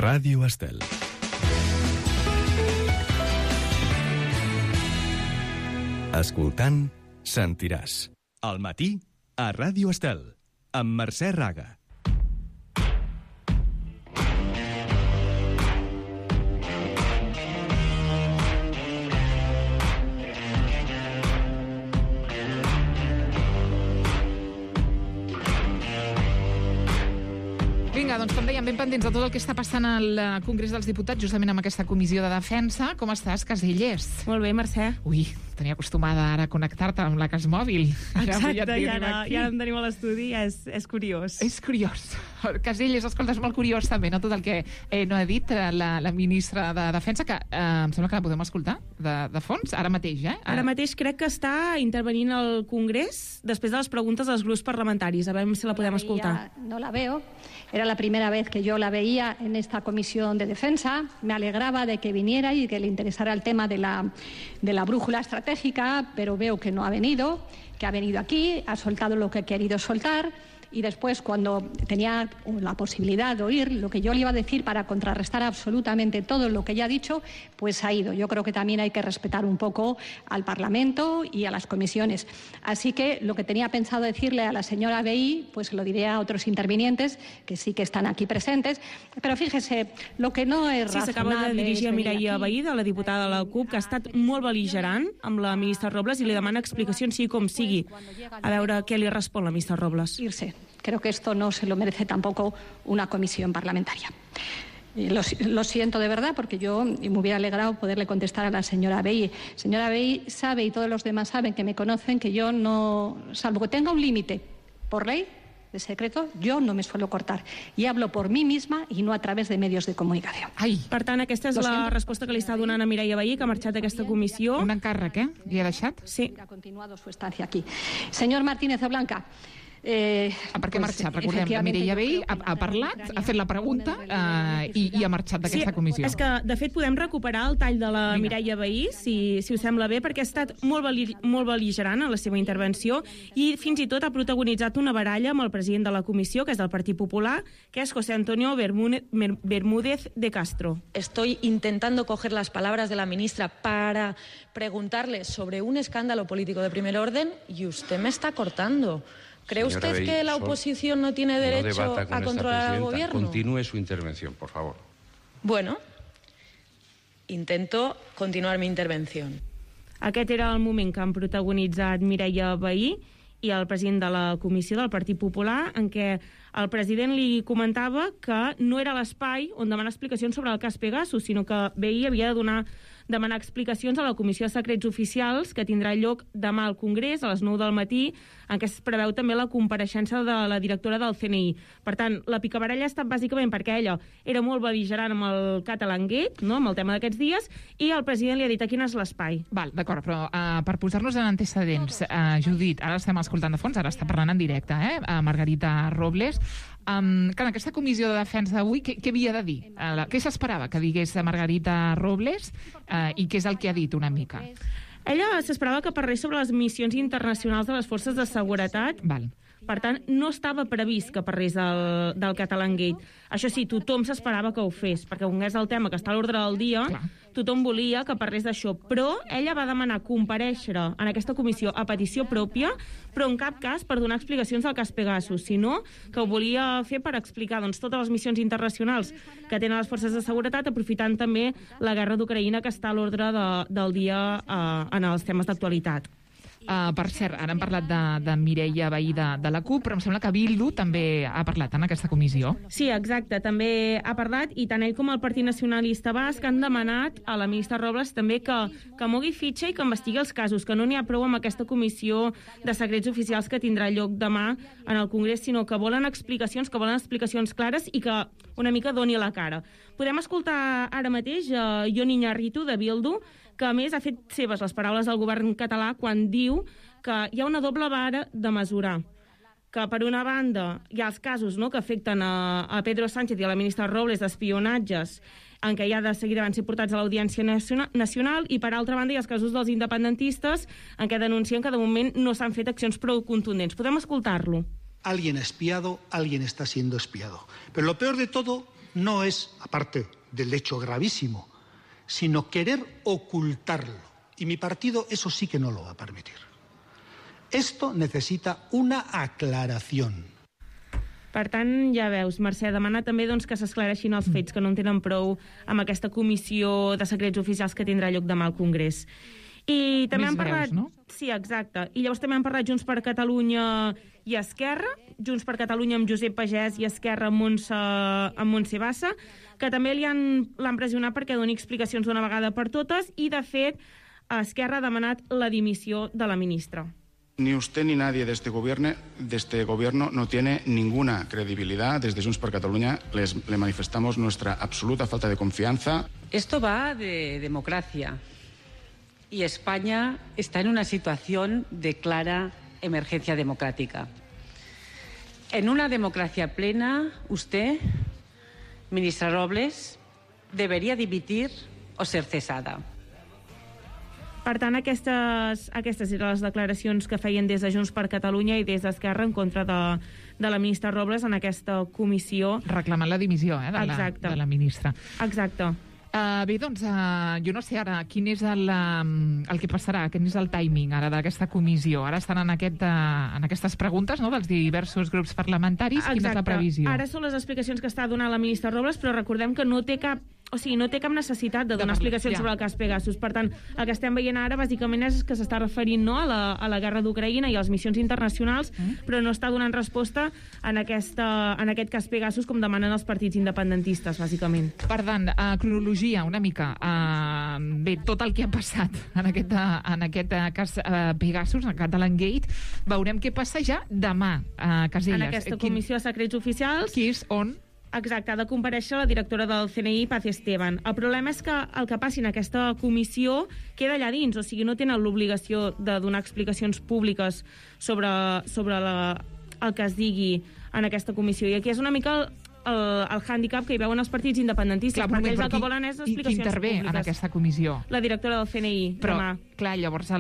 Ràdio Estel. Escoltant, sentiràs. Al matí, a Ràdio Estel, amb Mercè Raga. Vinga, doncs com dèiem, ben pendents de tot el que està passant al Congrés dels Diputats, justament amb aquesta comissió de defensa. Com estàs, Caselles? Molt bé, Mercè. Ui, tenia acostumada ara a connectar-te amb la Cas Mòbil. Exacte, i ara em tenim a l'estudi, és curiós. És curiós. Caselles, escolta, és molt curiós també, no? Tot el que no ha dit la ministra de Defensa, que em sembla que la podem escoltar de fons, ara mateix, Ara mateix crec que està intervenint al Congrés després de les preguntes dels grups parlamentaris. A veure si la podem escoltar. No la veo. Era la primera vez que yo la veía en esta comisión de defensa. Me alegraba de que viniera y que le interesara el tema de la brújula estratégica, pero veo que no ha venido, que ha venido aquí, ha soltado lo que ha querido soltar. Y después, cuando tenía la posibilidad de oír lo que yo le iba a decir para contrarrestar absolutamente todo lo que ella ha dicho, pues ha ido. Yo creo que también hay que respetar un poco al Parlamento y a las comisiones. Así que lo que tenía pensado decirle a la señora Vehí, pues lo diré a otros intervinientes que sí que están aquí presentes. Pero fíjese, lo que no es razonable... Sí, s'acaba de dirigir a Mireia Vehí, de la diputada de la CUP, que ha estat molt bel·ligerant amb la ministra Robles i li demana explicacions sigui com sigui. A veure què li respon la ministra Robles. Irse. Creo que esto no se lo merece tampoco una comisión parlamentaria. Lo siento de verdad, porque yo me hubiera alegrado poderle contestar a la señora Vehí. Señora Vehí sabe, y todos los demás saben que me conocen, que yo no, salvo que tenga un límite por ley de secreto, jo no me suelo cortar. I hablo por mi misma i no a través de medios de comunicació. Ai. Per tant, aquesta és la resposta que li està donant a Mireia Vehí, que ha marxat d'aquesta comissió. Un encàrrec, Li ha deixat? Sí. Ha continuado su estancia aquí. Señor Martínez de Blanca, per què ha marxat? Recordem, la Mireia Vehí ha parlat, ha fet la pregunta i ha marxat d'aquesta comissió. És que, de fet, podem recuperar el tall de la Mireia Vehí, si us sembla bé, perquè ha estat molt bel·ligerant en la seva intervenció i fins i tot ha protagonitzat una baralla amb el president de la comissió, que és del Partit Popular, que és José Antonio Bermúdez de Castro. Estoy intentando coger las palabras de la ministra para preguntarle sobre un escándalo político de primer orden y usted me está cortando. ¿Cree usted Vehí, que la oposición no tiene derecho a controlar al gobierno? Continúe su intervención, por favor. Bueno, intento continuar mi intervención. Aquest era el moment que han protagonitzat Mireia Vehí i el president de la comissió del Partit Popular, en què el president li comentava que no era l'espai on demanar explicacions sobre el cas Pegasus, sinó que Vehí havia de demanar explicacions a la Comissió de Secrets Oficials, que tindrà lloc demà al Congrés a les 9 del matí, en què es preveu també la compareixença de la directora del CNI. Per tant, la picabaralla ha estat bàsicament perquè ella era molt bel·ligerant amb el Catalangate, no?, amb el tema d'aquests dies, i el president li ha dit aquí no és l'espai. Val, d'acord, però per posar-nos en antecedents, Judit, ara estem escoltant de fons, ara està parlant en directe, Margarita Robles. En aquesta comissió de defensa d'avui, què havia de dir? Què s'esperava que digués Margarita Robles i què és el que ha dit una mica? Ella s'esperava que parlés sobre les missions internacionals de les forces de seguretat. Val. Per tant, no estava previst que parlés del Catalangate. Això sí, tothom s'esperava que ho fes, perquè com és el tema que està a l'ordre del dia, tothom volia que parlés d'això. Però ella va demanar comparèixer en aquesta comissió a petició pròpia, però en cap cas per donar explicacions del cas Pegasus, sinó que ho volia fer per explicar totes les missions internacionals que tenen les forces de seguretat, aprofitant també la guerra d'Ucraïna que està a l'ordre del dia en els temes d'actualitat. Per cert, ara hem parlat de Mireia Vehí de la CUP, però em sembla que Bildu també ha parlat en aquesta comissió. Sí, exacte, també ha parlat, i tant ell com el Partit Nacionalista Basc han demanat a la ministra Robles també que mogui fitxa i que investigui els casos, que no n'hi ha prou amb aquesta comissió de secrets oficials que tindrà lloc demà en el Congrés, sinó que volen explicacions clares i que una mica doni la cara. Podem escoltar ara mateix Jon Iñárritu de Bildu, que a més ha fet seves les paraules del govern català quan diu que hi ha una doble vara de mesurar, que per una banda hi ha els casos que afecten a Pedro Sánchez i a la ministra Robles d'espionatges en què ja de seguida van ser portats a l'Audiència Nacional, i per altra banda hi ha els casos dels independentistes en què denuncien que de moment no s'han fet accions prou contundents. Podem escoltar-lo. Alguien ha espiado, alguien está siendo espiado. Pero lo peor de todo no es, aparte del hecho gravísimo, sino querer ocultarlo. Y mi partido eso sí que no lo va a permitir. Esto necesita una aclaración. Per tant, ja veus, Mercè, demana també que s'esclareixin els fets, que no en tenen prou amb aquesta comissió de secrets oficials que tindrà lloc demà al Congrés. I també han parlat... no? Sí, exacte. I llavors també han parlat Junts per Catalunya i Esquerra, Junts per Catalunya amb Josep Pagès i Esquerra amb Montse Bassa, que també l'han pressionat perquè doni explicacions d'una vegada per totes i, de fet, Esquerra ha demanat la dimissió de la ministra. Ni usted ni nadie de este gobierno no tiene ninguna credibilidad. Desde Junts per Catalunya le manifestamos nuestra absoluta falta de confianza. Esto va de democracia y España está en una situación de clara emergencia democrática. En una democracia plena, usted, ministra Robles, debería dimitir o ser cesada. Per tant, aquestes eren les declaracions que feien des de Junts per Catalunya i des d'Esquerra en contra de la ministra Robles en aquesta comissió. Reclamant la dimissió de la ministra. Exacte. Bé, doncs, jo no sé ara quin és el que passarà, quin és el timing ara d'aquesta comissió. Ara estan en aquestes preguntes, no?, dels diversos grups parlamentaris. Quina és la previsió? Ara són les explicacions que està donant la ministra Robles, però recordem que no té cap necessitat de donar explicacions sobre el cas Pegasus. Per tant, el que estem veient ara, bàsicament, és que s'està referint a la guerra d'Ucraïna i a les missions internacionals, però no està donant resposta en aquest cas Pegasus, com demanen els partits independentistes, bàsicament. Per tant, cronologia, una mica. Bé, tot el que ha passat en aquest cas Pegasus, en Catalangate, veurem què passa ja demà a Caselles. En aquesta comissió de secrets oficials. Que és on... Exacte, ha de comparèixer la directora del CNI, Paz Esteban. El problema és que el que passi en aquesta comissió queda allà dins, o sigui, no tenen l'obligació de donar explicacions públiques sobre el que es digui en aquesta comissió. I aquí és una mica el hàndicap que hi veuen els partits independentistes, perquè ells el que volen és explicacions públiques. I qui intervé en aquesta comissió? La directora del CNI, demà. Però, clar, llavors,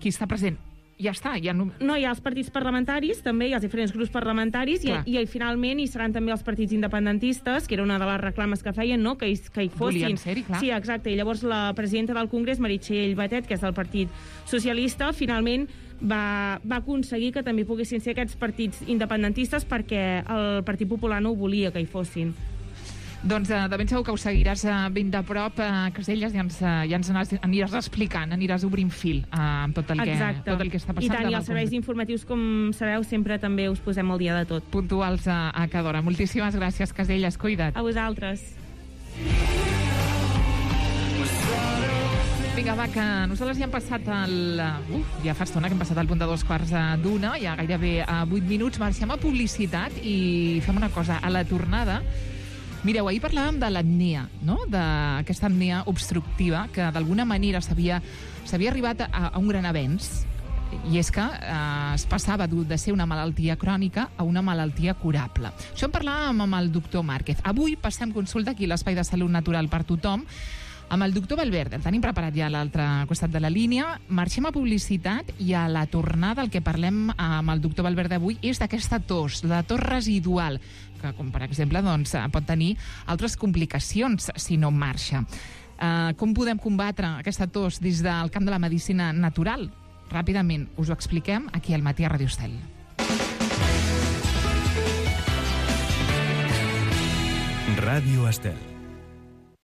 qui està present? Ja està. No, hi ha els partits parlamentaris, també hi ha els diferents grups parlamentaris, i finalment hi seran també els partits independentistes, que era una de les reclames que feien, no?, que hi fossin. Volien ser-hi, clar. Sí, exacte. I llavors la presidenta del Congrés, Meritxell Batet, que és del Partit Socialista, finalment va aconseguir que també poguessin ser aquests partits independentistes, perquè el Partit Popular no ho volia que hi fossin. Doncs de ben segur que ho seguiràs ben de prop, Caselles, i ens aniràs explicant, aniràs obrint fil amb tot el que està passant. I tant, i els serveis informatius, com sabeu, sempre també us posem al dia de tot. Puntuals a cada hora. Moltíssimes gràcies, Caselles, cuida't. A vosaltres. Vinga, va, que nosaltres ja hem passat ja fa estona que hem passat al punt de 2:15, ja gairebé 8 minuts. Marxem a publicitat i fem una cosa. A la tornada, mireu, ahir parlàvem de l'apnea, no?, d'aquesta apnea obstructiva, que d'alguna manera s'havia arribat a un gran avenç, i és que es passava de ser una malaltia crònica a una malaltia curable. Això en parlàvem amb el doctor Márquez. Avui passem consulta aquí a l'Espai de Salut Natural per Tothom amb el doctor Valverde. El tenim preparat ja a l'altre costat de la línia. Marxem a publicitat i a la tornada el que parlem amb el doctor Valverde avui és d'aquesta tos, la tos residual, que, com per exemple, doncs, pot tenir altres complicacions si no marxa. Com podem combatre aquesta tos des del camp de la medicina natural? Ràpidament us ho expliquem aquí al Matí a Ràdio Estel. Ràdio Estel.